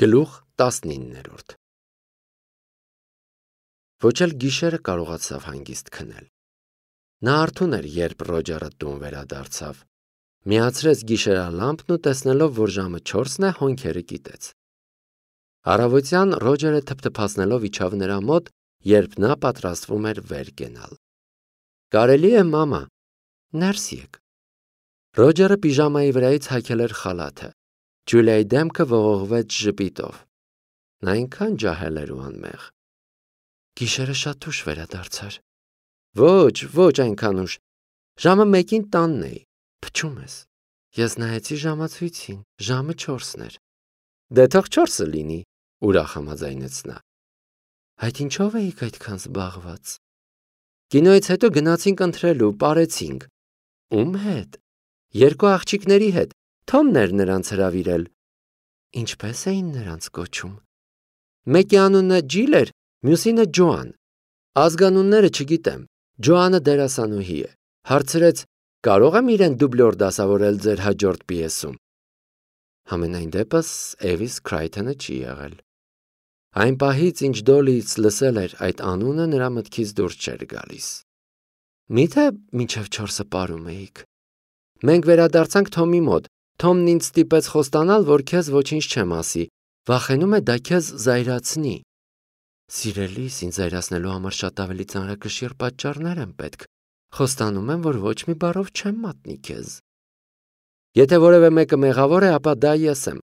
Գլուխ 19 Ոչ էլ գիշերը կարողացավ հանգիստ քնել։ Նա արթուն էր, երբ Ռոջերը տուն վերադարձավ։ Միացրեց գիշերալամպն ու տեսնելով, որ ժամը 4-ն է, հոնքերը կիտեց։ Առավոտյան Ռոջերը թփթփացնելով իջավ նրա մոտ, երբ նա պատրաստվում էր վեր կենալ։ Կարելի է, մամա, ներս եկ։ Ռոջերը պիժամայի վրայից հագել էր խալաթը։ Ջուլիայի դեմքը ողողվեց ժպիտով։ Նա այնքան ջահել էր ու անմեղ։ Գիշերը շատ ուշ վերադարձար։ Ոչ այնքան ուշ։ Ժամը 1-ին տանն էի։ Փչում ես։ Ես նայեցի ժամացույցին, ժամը 4-ն էր։ Դե թող 4-ը լինի, ուրախ համաձայնեց նա։ Այդ ինչով էիք այդքան զբաղված։ Կինոյից հետո գնացինք ընթրելու, պարեցինք։ Ում հետ։ 2 աղջիկների հետ։ Թոմն էր նրանց հրավիրել։ Ինչպես էին նրանց կոչում։ Մեկի անունը Ջիլ էր, մյուսինը Ջոան։ Ազգանունները չգիտեմ։ Ջոանը դերասանուհի է։ Հարցրեց. կարող եմ իրեն դուբլոր դասավորել ձեր հաջորդ պիեսում։ Համենայն դեպս Էվիս Քրայթոնը չի եղել։ Այն պահից, ինչ Դոլիից լսել էր այդ անունը, նրա մտքից դուրս չէր գալիս։ Միթե մինչև 4-ը պարում էիք։ Մենք վերադարձանք Թոմի մոտ։ Թոմն ինձ ստիպեց խոստանալ, որ քեզ ոչինչ չեմ ասի, վախենում է դա քեզ զայրացնի։ Սիրելիս, ինձ զայրացնելու համար շատ ավելի ծանրակշիռ պատճառներ են պետք։ Խոստանում եմ, որ ոչ մի բառով չեմ մատնի քեզ։ Եթե որևէ մեկը մեղավոր է, ապա դա ես եմ։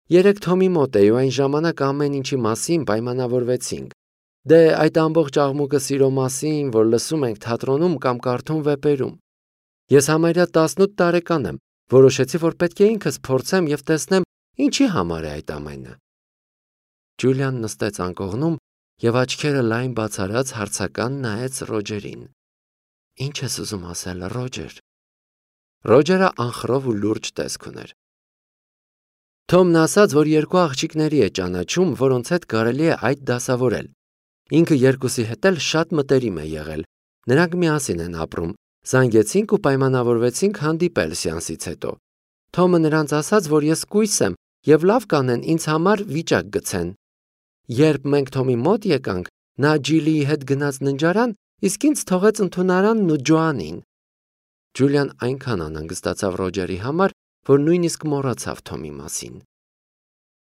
Երեք Թոմի մոտ էի ու այն ժամանակ ամեն ինչի մասին պայմանավորվեցինք։ Դե այդ ամբողջ աղմուկը սիրո մասին, որ լսում ենք թատրոնում կամ կարդում վեպերում։ Ես համարյա 18 տարեկան եմ, որոշեցի, որ պետք է ինքս փորձեմ եւ տեսնեմ, ինչի համար է այդ ամենը։ Ջուլիան նստեց անկողնում եւ աչքերը լայն բացարած հարցական նայեց Ռոջերին։ Ինչ ես ուզում ասել, Ռոջեր։ Ռոջերը անխռով ու լուրջ տեսք ուներ։ Թոմն ասաց, որ 2 աղջիկների է ճանաչում, որոնց հետ կարելի է այդ դասավորել։ Ինքը 2-ի հետ էլ շատ մտերիմ է եղել։ Նրանք միասին են ապրում։ Զանգեցինք ու պայմանավորվեցինք հանդիպել սեանսից հետո։ Թոմը նրանց ասաց, որ ես կույս եմ եւ լավ կանեն ինձ համար վիճակ գցեն։ Երբ մենք Թոմի մոտ եկանք, նա Ջիլիի հետ գնաց ննջարան, իսկ ինձ թողեց ընդունարանն ու Ջոանին։ Ջուլիան այնքան անհանգստացավ Ռոջերի համար, որ նույնիսկ մոռացավ Թոմի մասին։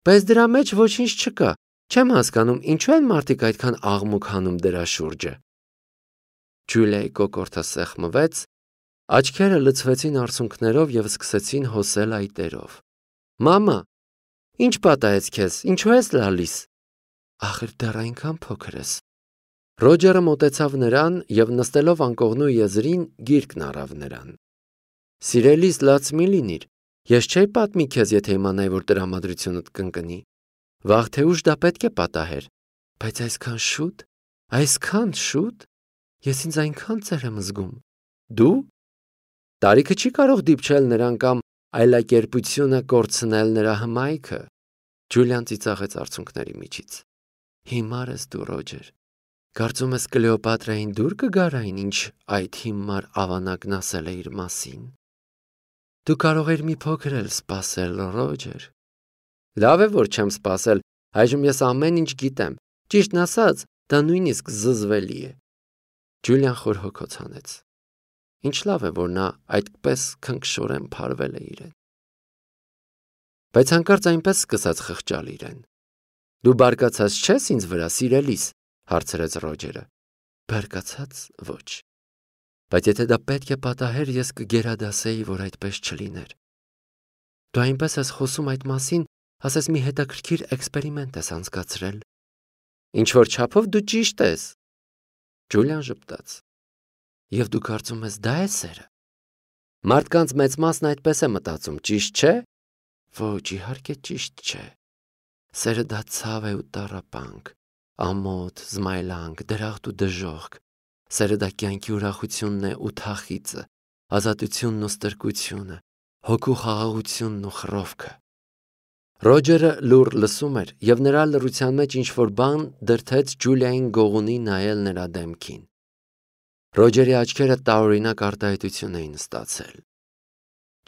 Բայց դրա մեջ ոչինչ չկա։ Չեմ հասկանում, ինչու են մարդիկ այդքան աղմուկ հանում դրա շուրջը։ Ջուլիայի կոկորդը սեղմվեց, աչքերը լցվեցին արցունքներով եւ սկսեցին հոսել այտերով։ Մամա, ինչ պատահեց քեզ, ինչու ես լալիս։ Ախր դեռ այնքան փոքր ես։ Ռոջերը մոտեցավ նրան եւ նստելով անկողնու եզրին գիրկն առավ նրան։ Սիրելիս, լաց մի լինիր։ Ես չէի պատմի քեզ, եթե իմանայի, որ տրամադրությունդ կընկնի։ Վաղ թե ուշ դա պետք է պատահեր։ Բայց այսքան շուտ։ Ես ինձ այնքան ծեր եմ զգում։ Դու։ Տարիքը չի կարող դիպչել նրան կամ այլակերպությունը կորցնել նրա հմայքը։ Ջուլիան ծիծաղեց արցունքների միջից։ Հիմար ես դու, Ռոջեր։ Կարծում ես Կլեոպատրային դուր կգար այն, ինչ այդ հիմար ավանակն ասել է իր մասին։ Դու կարող ես մի փոքր էլ սպասել, Ռոջեր։ Լավ է, որ չեմ սպասել, այժմ ես ամեն ինչ գիտեմ։ Ճիշտն ասած, դա նույնիսկ զզվելի է։ Ջուլիան խորհոքոց հանեց։ Ինչ լավ է, որ նա այդպես քնքշորեն փարվել է իրեն։ Բայց հանկարծ այնպես սկսած խղճալ իրեն։ Դու բարկացած չես ինձ վրա, սիրելիս, հարցրեց Ռոջերը։ Բարկացած ոչ։ Բայց եթե դա պետք է պատահեր, ես կգերադասեի, որ այդպես չլիներ։ Դու այնպես ես խոսում այդ մասին, ասես մի հետաքրքիր էքսպերիմենտ ես անցկացրել։ Ինչ որ չափով դու ճիշտ ես։ Ջուլիան ժպտաց։ Եվ դու կարծում ես դա է սերը։ Մարդկանց մեծ մասն այդպես է մտածում, ճիշտ չէ։ Ոչ, իհարկե ճիշտ չէ։ Սերը դա ցավ է ու տառապանք, ամոթ, զմայլանք, դրախտ ու դժոխք։ Սերը դա կյանքի ուրախությունն է ու թախիծը, ազատությունն ու ստրկությունը, հոգու խաղաղությունն ու խռովքը։ Ռոջերը լուռ լսում էր, եւ նրա լռության մեջ ինչ-որ բան դրթեց Ջուլիային գողունի նայել նրա դեմքին։ Ռոջերի աչքերը տարօրինակ արտահայտություն էին ստացել։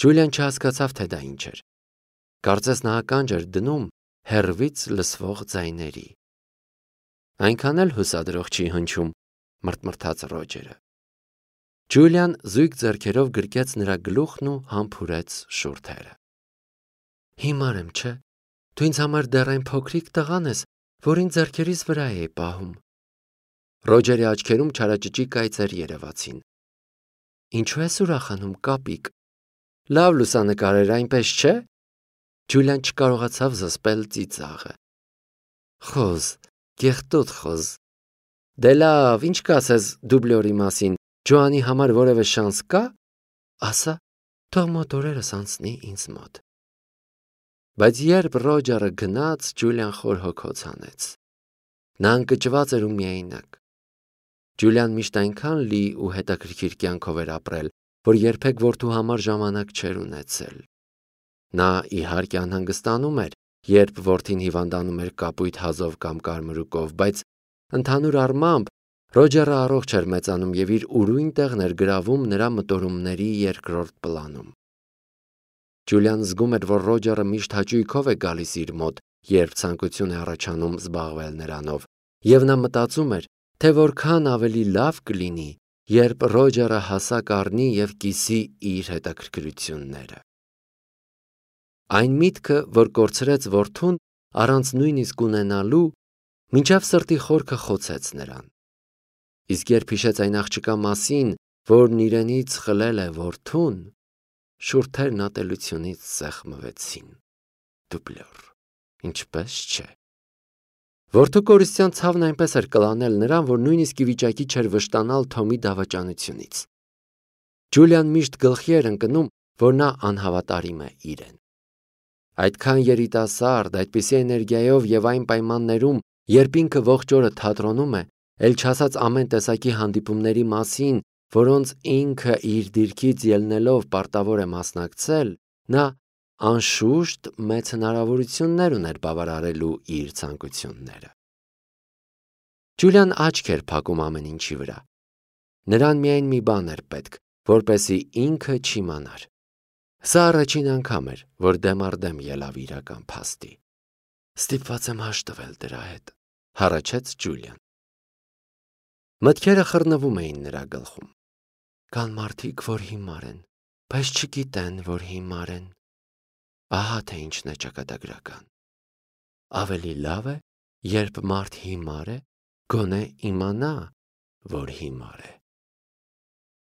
Ջուլիան չհասկացավ, թե դա ինչ էր։ Կարծես նա ականջ էր դնում, հեռվից լսվող ձայների։ Այնքան էլ հուսադրող չի հնչում, մրթմրթաց Ռոջերը։ Ջուլիան զույգ ձեռքերով գրկեց նրա գլուխն ու համբուրեց շուրթերը։ Հիմար եմ, չէ՞։ Դու ինձ համար դեռ այն փոքրիկ տղան ես, որին ձեռքերիս վրա էի պահում։ Ռոջերի աչքերում չարաճճի կայծեր երևացին։ Ինչու ես ուրախանում, կապիկ։ Լավ լուսանկար էր, այնպես չէ։ Ջուլիան չկարողացավ զսպել ծիծաղը։ Խոզ, կեղտոտ խոզ։ Դե լավ, ինչ կասես դուբլյորի մասին, Ջոանի համար որևէ շանս կա։ Ասա, թող մոտ օրերս անցնի ինձ մոտ։ Բայց երբ Ռոջերը գնաց, Ջուլիան խոր հոգոց հանեց։ Նա ընկճված էր ու միայնակ։ Ջուլիան միշտ այնքան լի ու հետաքրքիր կյանքով էր ապրել, որ երբեք որդու համար ժամանակ չէր ունեցել։ Նա իհարկե անհանգստանում էր, երբ որդին հիվանդանում էր կապույտ հազով կամ կարմրուկով, բայց ընդհանուր առմամբ Ռոջերը առողջ էր մեծանում և իր ուրույն տեղն էր գրավում նրա մտորումների երկրորդ պլանում։ Ջուլիան զգում էր, որ Ռոջերը միշտ հաճույքով է գալիս իր մոտ, երբ ցանկություն է առաջանում զբաղվել նրանով, և նա մտածում էր, թե որքան ավելի լավ կլինի, երբ Ռոջերը հասակ առնի և կիսի իր հետաքրքրությունները։ Այն միտքը, որ կորցրեց որդուն առանց նույնիսկ ունենալու, մինչև սրտի խորքը խոցեց նրան։ Իսկ երբ հիշեց այն աղջկա մասին, որն իրենից խլել է որդուն, շուրթերն ատելությունից սեղմվեցին։ Դուբլյոր, ինչպես չէ։ Որդու կորստյան ցավն այնպես էր կլանել նրան, որ նույնիսկ ի վիճակի չէր վշտանալ Թոմի դավաճանությունից։ Ջուլիան միշտ գլխի էր ընկնում, որ նա անհավատարիմ է իրեն։ Այդքան երիտասարդ, այդպիսի էներգիայով և այն պայմաններում, երբ ինքը ողջ օրը թատրոնում է, էլ չասած ամեն տեսակի հանդիպումների մասին, որոնց ինքը իր դիրքից ելնելով պարտավոր է մասնակցել, նա անշուշտ մեծ հնարավորություններ ուներ բավարարելու իր ցանկությունները։ Ջուլիան աչք էր փակում ամեն ինչի վրա։ Նրան միայն մի բան էր պետք, որպեսզի ինքը չիմանար։ Սա առաջին անգամ էր, որ դեմ առ դեմ ելավ իրական փաստի։ Ստիպված եմ հաշտվել դրա հետ, հառաչեց Ջուլիան։ Մտքերը խռնվում էին նրա գլխում։ Կան մարդիկ, որ հիմար են, բայց չգիտեն, որ հիմար են։ Ահա թե ինչն է ճակատագրական։ Ավելի լավ է, երբ մարդ հիմար է, գոնե իմանա, որ հիմար է։